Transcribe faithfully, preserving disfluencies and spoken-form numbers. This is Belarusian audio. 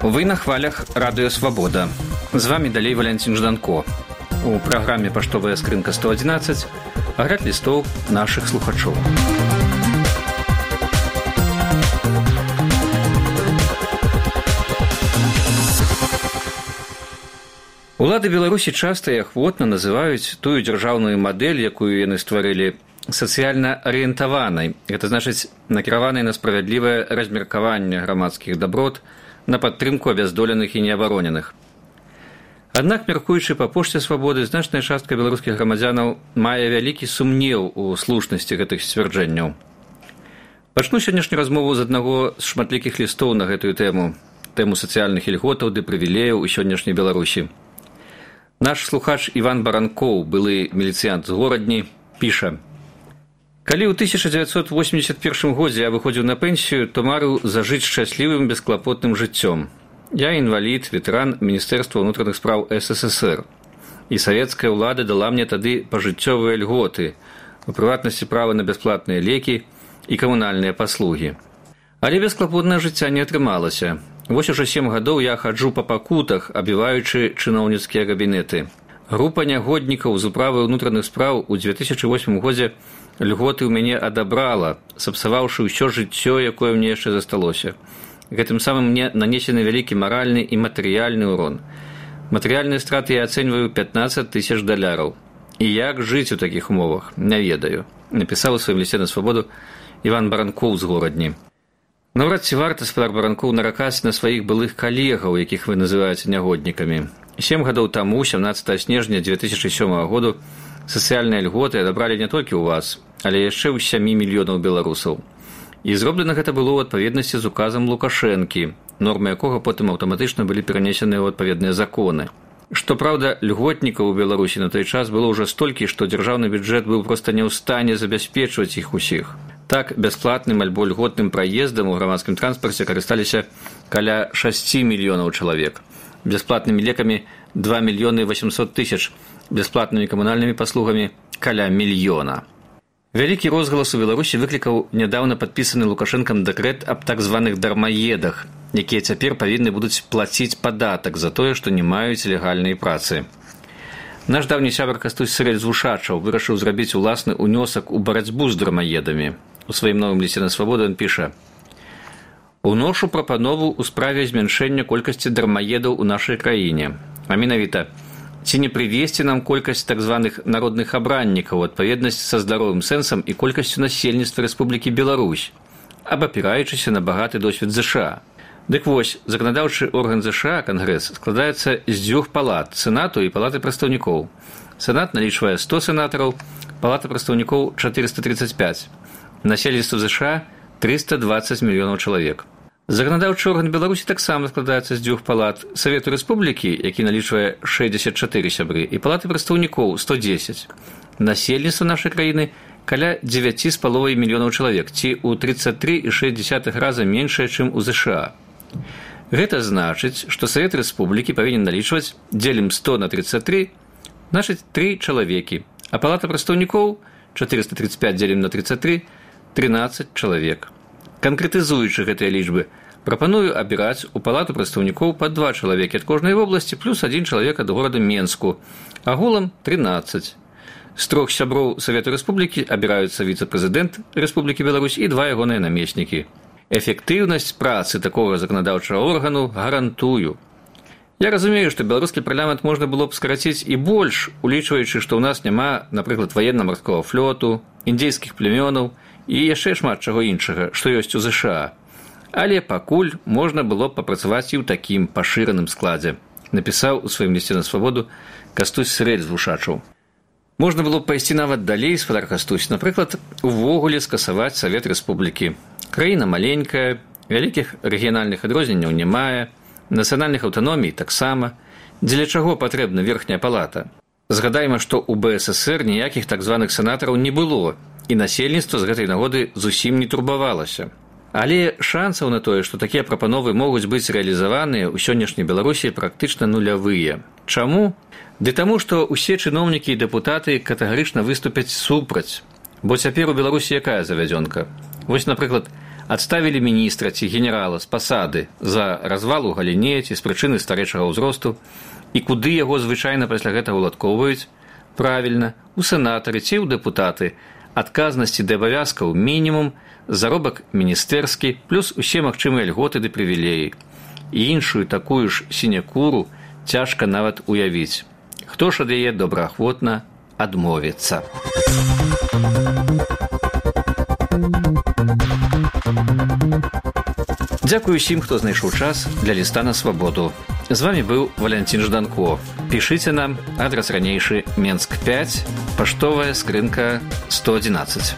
Вы на хвалях Радыё Свабода. З вами далей Валянцін Жданко. У праграме «Паштовая скрынка сто адзінаццаць» агляд лістоў нашых слухачоў. Улады Беларусі часта і ахвотна называюць тую дзяржаўную мадэль, якую яны стварылі, сацыяльна арыентаванай. Гэта значыць накіраванай на справядлівае размеркаванне грамадскіх даброт, на падтрымку абяздоленых і неабароненых. Аднак, мяркуючы па пошце свабоды, значная частка беларускіх грамадзянаў мае вялікі сумнеў у слушнасці гэтых сцвярджэнняў. Пачну сённяшнюю размову з аднаго з шматлікіх лістоў на гэтую тэму, тэму сацыяльных ільготаў ды прывілеяў у сённяшняй Беларусі. Наш слухач Іван Баранкоў, былы міліцыянт з горадні, піша: «Калі ў тысяча дзевяцьсот восемьдесят першым годзе я выходзіў на пенсію, то марыў зажыць шчаслівым бесклапотным жыццём. Я інвалід, ветэран Міністэрства ўнутраных спраў эс эс эс эр. І савецкая ўлада дала мне тады пажыццёвыя льготы, у прыватнасці права на бясплатныя лекі і камунальныя паслугі. Але бесклапотнае жыцця не атрымалася. Вось ужо сем гадоў я хаджу па пакутах, абіваючы чыноўніцкія кабінеты. Група нягоднікаў з управы ўнутраных спраў у две тысячы восьмым годзе льготы ў мяне адабрала, сапсаваўшы ўсё жыццё, якое мне яшчэ засталося. Гэтым самым мне нанесены вялікі маральны і матэрыяльны ўрон. Матэрыяльныя страты я ацэньваю пятнаццаць тысяч даляраў. І як жыць у такіх умовах, не ведаю», напісаў у сваім лісце на свабоду Іван Баранкоў з горадні. Наўрад ці варта, спадар Баранкоў, наракаць на сваіх былых калегаў, якіх вы называеце нягоднікамі. Сем гадоў таму, сямнаццатага снежня две тысячы сёмага году, сацыяльныя льготы адабралі не толькі ў вас, але яшчэ ў сямі мільёнаў беларусаў. І зроблена гэта было ў адпаведнасці з указам Лукашэнкі, нормы якога потым аўтаматычна былі перанесеныя ў адпаведныя законы. Што праўда, льготнікаў у Беларусі на той час было ўжо столькі, што дзяржаўны бюджэт быў проста не ў стане забяспечваць іх усіх. Так, бясплатным альбо льготным праездам у грамадскім транспарце карысталіся каля шасці мільёнаў чалавек. Бясплатнымі лекамі два мільёны восемьсот тысяч, бясплатнымі камунальнымі паслугамі каля мільёна. Вялікі розгалас у Беларусі выклікаў нядаўна падпісаны Лукашэнкам дэкрэт аб так званых дармаедах, якія цяпер павінны будуць плаціць падатак за тое, што не маюць легальнай працы. Наш даўні сябар Кастусь Сырэль-Звушачаў вырашыў зрабіць уласны ўнёсак у барацьбу з дармаедамі. У сваім новым лісце на свабоду ён піша: «Уношу прапанову ў справе змяншэння колькасці дармаедаў у нашай краіне. А менавіта, ці не прывесці нам колькасць так званых народных абраннікаў у адпаведнасць са здаровым сэнсам і колькасцю насельніцтва Рэспублікі Беларусь, абапіраючыся на багаты досвед зэ ша а. Дык вось, заканадаўчы орган зэ ша а, Кангрэс, складаецца з дзвюх палат – Сенату і палаты прадстаўнікоў. Сенат налічвае сто сенатараў, палата прадстаўнікоў – чатырыста тридцать пять. Насельніцтва зэ ша а – триста двадцать мільёнаў чалавек. Заканадаўчы орган Беларусі таксама складаецца з дзвюх палат – Савету Рэспублікі, які налічвае шэсцьдзесят чатыры сябры, і палаты прадстаўнікоў – сто дзесяць. Насельніцтва нашай краіны каля девять з паловай мільёнаў чалавек, ці ў тридцать три і шэсць дзесятых раза меншае, чым у зэ ша а. Гэта значыць, што Савет Рэспублікі павінен налічваць, дзелім сто на тридцать три, значыць тры чалавекі, а палата прадстаўнікоў – четыреста тридцать пять дзелім на тридцать три – тринадцать чалавек. Канкрэтызуючы гэтыя лічбы, прапаную абіраць у палату прадстаўнікоў па два чалавекі ад кожнай вобласці плюс адзін чалавек ад горада Менску, агулам тринадцать. З трох сяброў Савету Рэспублікі абіраюцца віцэ-прэзідэнт Рэспублікі Беларусь і два ягоныя намеснікі. Эфектыўнасць працы такога заканадаўчага органу гарантую. Я разумею, што беларускі парламент можна было б скараціць і больш, улічваючы, што ў нас няма, напрыклад, ваенна-марскога флоту, індзейскіх племёнаў і яшчэ шмат чаго іншага, што ёсць у зэ ша а. Але пакуль можна было б папрацаваць і ў такім пашыраным складзе, напісаў у сваім лісце на свабоду Кастусь Сырэль-Звушачаў. Можна было б пайсці нават далей, спадар Кастусь, напрыклад, увогуле скасаваць Савет Рэспублікі. Краіна маленькая, вялікіх рэгіянальных адрозненняў не мае, нацыянальных аўтаномій таксама. Дзеля чаго патрэбна верхняя палата? Згадайма, што ў бэ эс эс эр ніякіх так званых сенатараў не было, і насельніцтва з гэтай нагоды зусім не турбавалася. Але шансаў на тое, што такія прапановы могуць быць рэалізаваныя ў сённяшняй Беларусі практычна нулявыя. Чаму? Ды таму, што ўсе чыноўнікі і дэпутаты катэгарычна выступяць супраць. Бо цяпер у Беларусі якая завядзёнка? Вось, напрыклад, адставілі міністра ці генерала з пасады за развал у галіне ці з прычыны старэйшага ўзросту, і куды яго звычайна пасля гэтага уладкоўваюць? Правільна, у сенатары ці ў дэпутаты. Адказнасці да абавязкаў мінімум, заробак міністэрскі, плюс усе магчымыя льготы ды прывілеі. І іншую такую ж сінекуру цяжка нават уявіць. Хто ж ад яе добраахвотна адмовіцца? Дзякую усім, хто знайшоў час для ліста на свабоду. З вами быў Валянцін Жданко. Пішыце нам, адрас ранейшы Менск пяць, паштовая скрынка сто адзінаццаць.